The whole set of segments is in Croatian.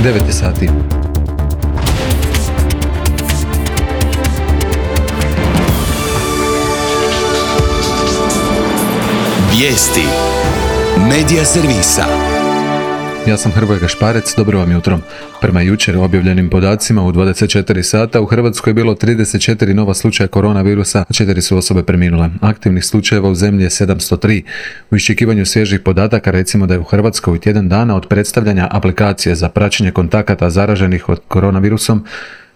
9 sati. Vijesti Medija servisa. Ja sam Hrvoje Gašparec, dobro vam jutro. Prema jučer objavljenim podacima u 24 sata u Hrvatskoj je bilo 34 nova slučaja koronavirusa, a 4 su osobe preminule. Aktivnih slučajeva u zemlji je 703. U iščekivanju svježih podataka recimo da je u Hrvatskoj u tjedan dana od predstavljanja aplikacije za praćenje kontakata zaraženih od koronavirusom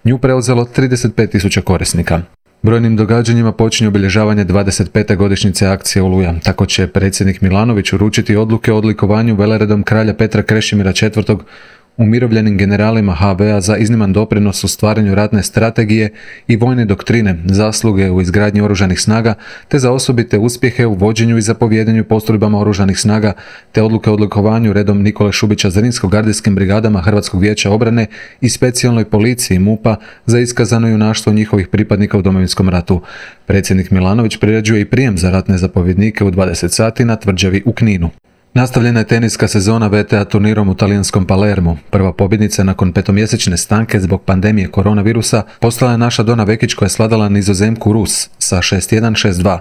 nju preuzelo 35.000 korisnika. Brojnim događanjima počinje obilježavanje 25. godišnjice akcije Oluja. Tako će predsjednik Milanović uručiti odluke o odlikovanju veleredom kralja Petra Krešimira IV. Umirovljenim generalima HV-a za izniman doprinos u stvaranju ratne strategije i vojne doktrine, zasluge u izgradnji oružanih snaga, te za osobite uspjehe u vođenju i zapovjedanju postrojbama oružanih snaga, te odluke o odlikovanju redom Nikole Šubića Zrinsko-gardijskim brigadama Hrvatskog vijeća obrane i specijalnoj policiji MUP-a za iskazano junaštvo njihovih pripadnika u Domovinskom ratu. Predsjednik Milanović priređuje i prijem za ratne zapovjednike u 20 sati na tvrđavi u Kninu. Nastavljena je teniska sezona VTA turnirom u talijanskom Palermu. Prva pobjednica nakon 5-mjesečne stanke zbog pandemije koronavirusa postala je naša Dona Vekić koja je svladala Nizozemku Rus sa 6-1, 6-2.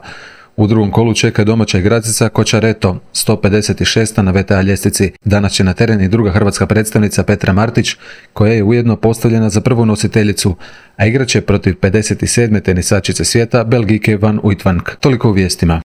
U drugom kolu čeka domaća igračica Kočareto, 156. na VTA ljestvici. Danas će na teren i druga hrvatska predstavnica Petra Martić, koja je ujedno postavljena za prvu nositeljicu, a igraće protiv 57. tenisačice svijeta Belgijke Van Uytvanck. Toliko u vijestima.